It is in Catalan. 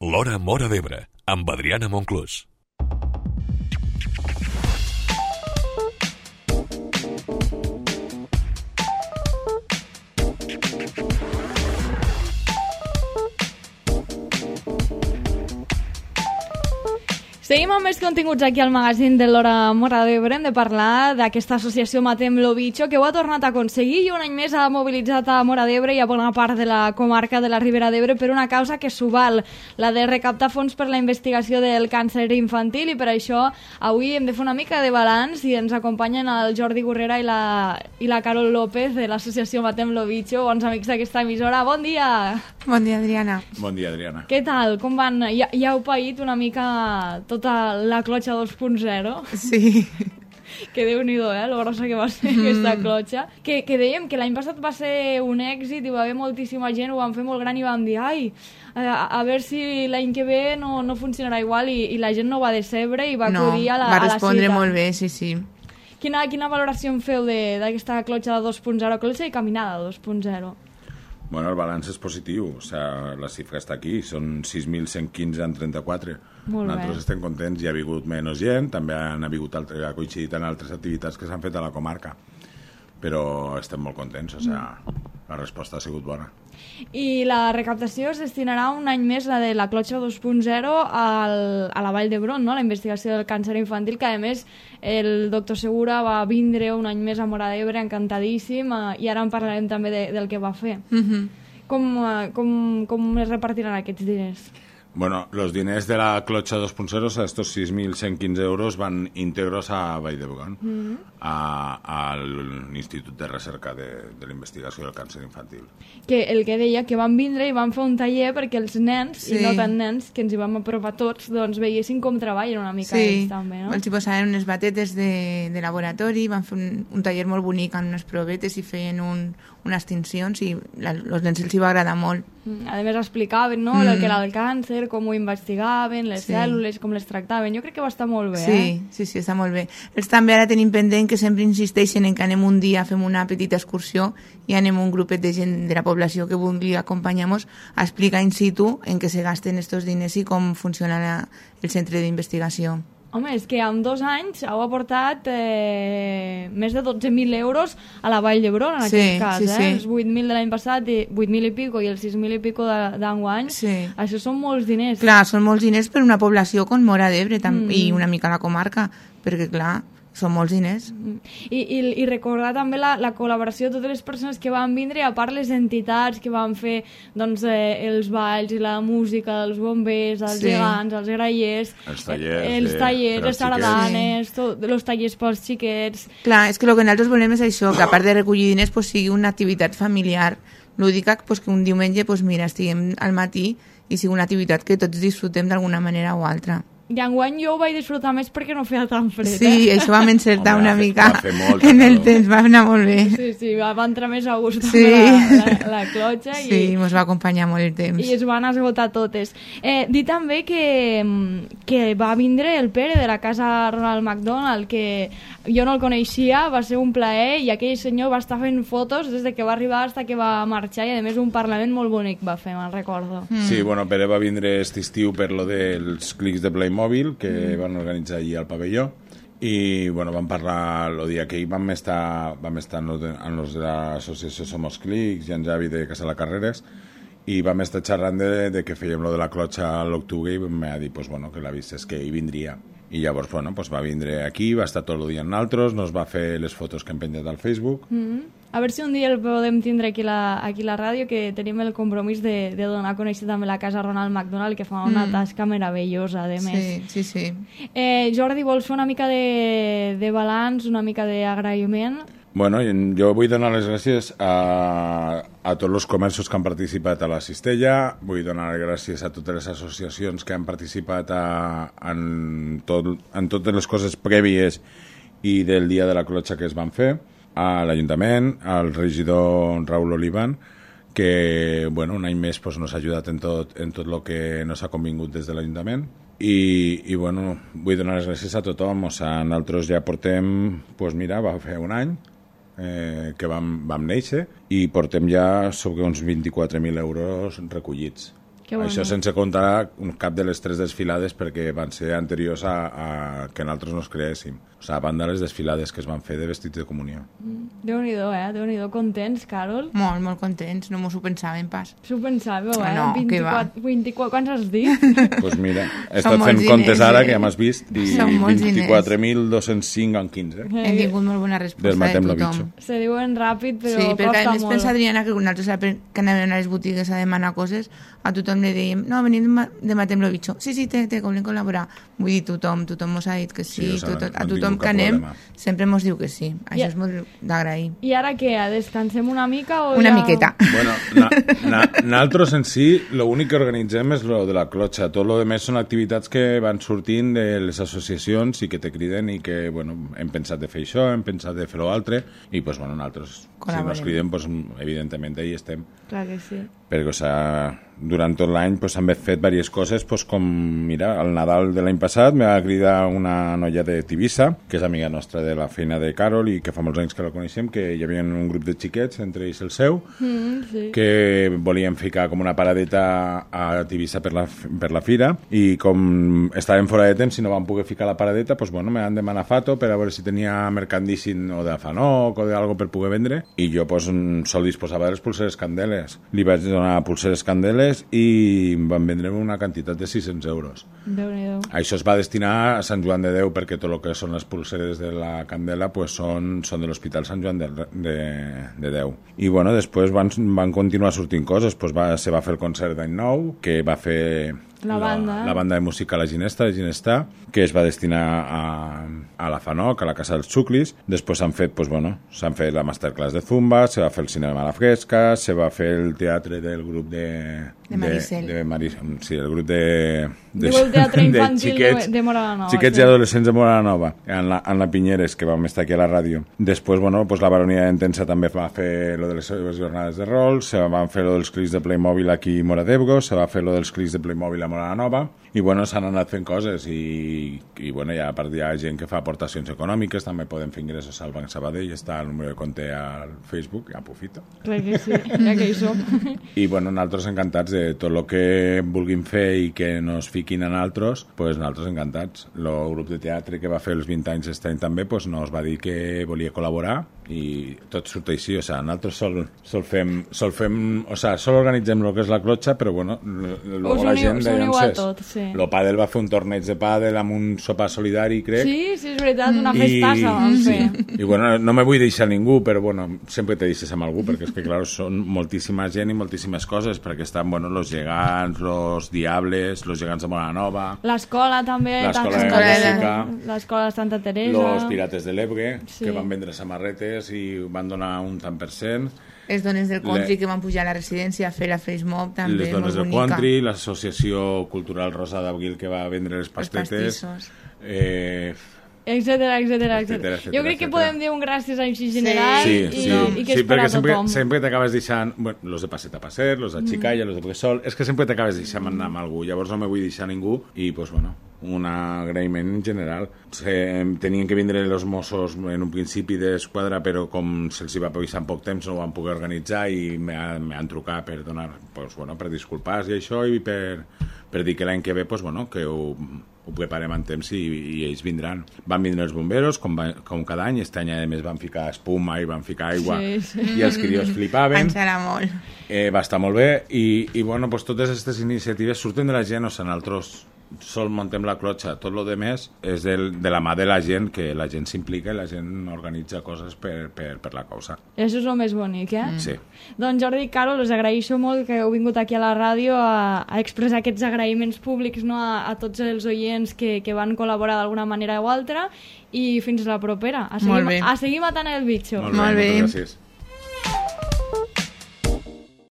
L'Hora Móra d'Ebre, amb Adriana Monclús. Seguim amb més continguts aquí al magazín de l'Hora Móra d'Ebre. Hem de parlar d'aquesta associació Matem lo Bicho, que ho ha tornat a aconseguir i un any més ha mobilitzat a Móra d'Ebre i a bona part de la comarca de la Ribera d'Ebre per una causa que s'ho val, la de recaptar fons per la investigació del càncer infantil, i per això avui hem de fer una mica de balanç i ens acompanyen el Jordi Gurrera i la Carol López de l'associació Matem lo Bicho, bons amics d'aquesta emissora. Bon dia! Bon dia, Adriana. Bon dia, Adriana. Què tal? Com van? Ja heu paït una mica tota la clotxa 2.0? Sí. Que Déu-n'hi-do, lo grossa que va ser aquesta clotxa. Que dèiem que l'any passat va ser un èxit i va haver moltíssima gent, ho van fer molt gran i vam dir, a veure si l'any que ve no funcionarà igual, i la gent no va decebre i va acudir a la cita. Va respondre molt bé, sí. Quina valoració en feu d'aquesta clotxa de 2.0, clotxa i caminada 2.0? Bueno, el balanç és positiu, o sea, la xifra està aquí, són 6.115 en 34. Molt bé. Nosaltres estem contents, hi ha hagut menys gent, també ha coincidit en altres activitats que s'han fet a la comarca, però estem molt contents, o sea, la resposta ha sigut bona. I la recaptació es destinarà un any més, la de la clotxa 2.0, a la Vall d'Hebron, no? La investigació del càncer infantil, que a més el doctor Segura va vindre un any més a Móra d'Ebre, encantadíssim, i ara en parlarem també del que va fer. Com es repartiran aquests diners? Bueno, los diners de la clotxa 2.0, o sea, estos 6.115 euros van íntegros a Vall d'Hebron, al Institut de Recerca de la Investigació del Càncer Infantil. Que el que deia, que van vindre i van fer un taller perquè els nens, i no tant nens, que ens hi vam apropar tots, doncs veiessin com treballen una mica ells també, no? Els hi posaven unes batetes de laboratori, van fer un taller molt bonic amb unes provetes i feien unes tincions, i als nens els hi va agradar molt. A més explicaven, no?, el que era el càncer, com ho investigaven, les cèl·lules, com les tractaven. Jo crec que va estar molt bé, Sí, està molt bé. Ells també ara tenim pendent que sempre insisteixen en que anem un dia, fem una petita excursió i anem un grupet de gent de la població que vulgui acompanyar-nos a explicar in situ en què se gasten estos diners i com funciona el centre d'investigació. Home, és que en 2 anys heu aportat més de 12.000 euros a la Vall d'Hebron, en aquest cas. Els 8.000 de l'any passat, 8.000 i pico, i els 6.000 i pico d'enguany. Això són molts diners. Clar, són molts diners per una població com Móra d'Ebre i una mica la comarca, perquè clar, són molts diners. I recordar també la col·laboració de totes les persones que van vindre, a part les entitats que van fer els balls i la música, els bombers, els gegants, els grallers, els tallers, les sardanes, els tallers pels xiquets. Clar, és que el que nosaltres volem és això, que a part de recollir diners sigui una activitat familiar lúdica, que un diumenge estiguem al matí i sigui una activitat que tots disfrutem d'alguna manera o altra. I enguany jo ho vaig disfrutar més perquè no feia tan fred. Sí, això vam encertar una mica en el temps, va anar molt bé. Sí, va entrar més a gust la clotxa. Sí, ens va acompanyar molt el temps. I es van esgotar totes. Dir també que va vindre el Pere de la casa Ronald McDonald, que jo no el coneixia, va ser un plaer, i aquell senyor va estar fent fotos des de que va arribar fins que va marxar, i a més un parlament molt bonic va fer, me'n recordo. Sí, bueno, Pere va vindre aquest estiu per lo dels clics de Playmobil que van organitzar allí al pavelló, i bueno, vam parlar el dia que vam estar amb els de l'associació Somos Clics i en Javi de Casa la Carreres, i vam estar xerrant de que fèiem lo de la clotxa a l'octubre, i m'ha dit que la vist és que hi vindria, i llavors va vindre aquí, va estar tot el dia amb nosaltres, nos va fer les fotos que hem penjat al Facebook. A veure si un dia el podem tindre aquí a la ràdio, que tenim el compromís de donar a conèixer també la casa Ronald McDonald, que fa una tasca meravellosa, a més. Sí. Jordi, vols fer una mica de balanç, una mica d'agraïment? Bueno, jo vull donar les gràcies a tots els comerços que han participat a la cistella, vull donar les gràcies a totes les associacions que han participat en totes les coses prèvies i del dia de la clotxa que es van fer, a l'Ajuntament, al regidor Raúl Olivan, que un any més nos ha ajudat en tot el que nos ha convingut des de l'Ajuntament, i vull donar les gràcies a tothom. Nosaltres ja portem, va fer un any que vam néixer, i portem ja sobre uns 24.000 euros recollits. Que bonic. Això sense comptar cap de les 3 desfilades perquè van ser anteriors a que nosaltres nos creéssim. O sigui, a banda les desfilades que es van fer de vestits de comunió. Déu-n'hi-do, Déu-n'hi-do. Contents, Carol? Molt, molt contents, no mos ho pensàvem pas. S'ho pensàveu, No, què va. 24, quants has dit? Doncs mira, he Són estat molts fent comptes diners, ara, que ja m'has vist, i Són molts diners. 24.205 en 15. Hem tingut molt bona resposta de Desmatem lo tothom. bitxo. Se diuen ràpid, però Sí, perquè a costa més molt. pensa Adriana que nosaltres que anàvem a les botigues a demanar coses, a tothom li dèiem, no, venim de Matem lo Bitxo. Sí, que volem col·laborar. Vull dir, tothom mos ha dit que sí, Sí, o sigui, a no tothom tinc que cap anem problema. sempre mos diu que sí. Això Ja. és molt d'agrair. I ara què? Descansem una mica o Una ja... miqueta. Bueno, nosaltres en si, l'únic que organitzem és lo de la clotxa. Tot lo demés són activitats que van sortint de les associacions i que te criden i que, bueno, hem pensat de fer això, hem pensat de fer l'altre, i, pues, bueno, nosaltres, si Col·laborem. nos criden, pues, evidentment, ahí estem. Clar que sí. Perquè, o sea, durant tot l'any pues, han fet diverses coses, pues, com, mira, al Nadal de l'any passat me va cridar una noia de Tivissa, que és amiga nostra de la feina de Carol i que fa molts anys que la coneixem, que hi havia un grup de xiquets, entre ells el seu, Sí. que volien ficar com una paradeta a Tivissa per la fira, i com estàvem fora de temps i no vam poder ficar la paradeta, pues, bueno, me van demanar Fato per a veure si tenia mercandíssim o de Fanoc o d'algo per poder vendre, i jo pues, sol disposava de les pulseres Candeles. Li vaig donar pulseres Candeles i em van vendre una quantitat de 600 euros. Déu-n'hi-do. Això es va destinar a Sant Joan de Déu, perquè tot el que són les pulseres de la Candela pues, són de l'Hospital Sant Joan de Déu. I bueno, després van continuar sortint coses. Pues se va fer el concert d'any nou, que va fer La banda. la banda de música La Ginesta, que es va destinar a la Fanoc, a la Casa dels Xuclis. Després s'han fet, pues, bueno, s'han fet la masterclass de Zumba, se va fer el cinema a la fresca, se va fer el teatre del grup de Maricel. Sí, el grup de Diu el teatre infantil xiquets, de Mora Nova. xiquets sí. i adolescents de Mora Nova, en la Pinyeres, que vam estar aquí a la ràdio. Després, bueno, pues la Baronia d'Entensa també va fer lo de les seves jornades de rol, se van fer lo dels clics de Playmobil aquí a Mora d'Ebre, se va fer lo dels clics de Playmobil a Mora Nova, i bueno, s'han anat fent coses i bueno, ja a part hi ha gent que fa aportacions econòmiques, també podem fer ingressos al Banc Sabadell, està el número de compte al Facebook, ja aprofito. Clar que sí, ja que hi som. I bueno, nosaltres encantats de tot el que vulguin fer i que nos fiquin en altres, pues nosaltres encantats. El grup de teatre que va fer els 20 anys aquest any també pues, nos va dir que volia col·laborar i tot surt així, o sigui, nosaltres sol organitzem el que és la clotxa, però bueno, Us la gent uniu a tot, sí. el pàdel va fer un torneig de pàdel amb un sopar solidari, crec. Sí, és veritat, una festassa vam fer. I bueno, no me vull deixar ningú, però bueno, sempre te deixes amb algú, perquè és que, clar, són moltíssima gent i moltíssimes coses, perquè estan, bueno, los gegants, los diables, los gegants de Mora Nova, L'escola també. l'escola de L'escola de- música, L'escola de Santa Teresa. los pirates de l'Ebre, Sí. que van vendre samarretes i van donar un tant per cent, Les dones del country que van pujar a la residència a fer la face mob també, les dones molt del bonica. country, l'associació cultural Rosa d'Abril que va vendre les pastetes, pastissos. Etcètera. Etcètera, Jo crec que etcètera. podem dir un gràcies així general Sí, i que és per perquè a tothom. sempre t'acabes deixant, bueno, los de Passet a Passet, los de Xicalla, los de Bressol, és que sempre t'acabes deixant anar amb algú, llavors no me vull deixar ningú i, pues, bueno, un agraïment en general. Tenien que vindre els Mossos en un principi d'esquadra, però com se'ls va avisar en poc temps no ho van poder organitzar i m'han trucat per donar, pues, bueno, per disculpar-se i això, i per dir que l'any que ve, pues, bueno, que ho preparem en temps i ells vindran. Van vindre els bomberos, com cada any. Aquest any, a més, van ficar espuma i van ficar aigua, Sí. i els crios flipaven. Ens serà molt. Va estar molt bé i bueno, pues, totes aquestes iniciatives surten de la gent, o sigui, nosaltres sol muntem la clotxa, tot el demés és de la mà de la gent, que la gent s'implica i la gent organitza coses per la causa. Això és el més bonic, Sí. Doncs Jordi i Carol, us agraeixo molt que heu vingut aquí a la ràdio a expressar aquests agraïments públics, no, a tots els oients que van col·laborar d'alguna manera o altra, i fins la propera. Molt bé. A seguir matant el bitxo. Molt bé. Moltes gràcies.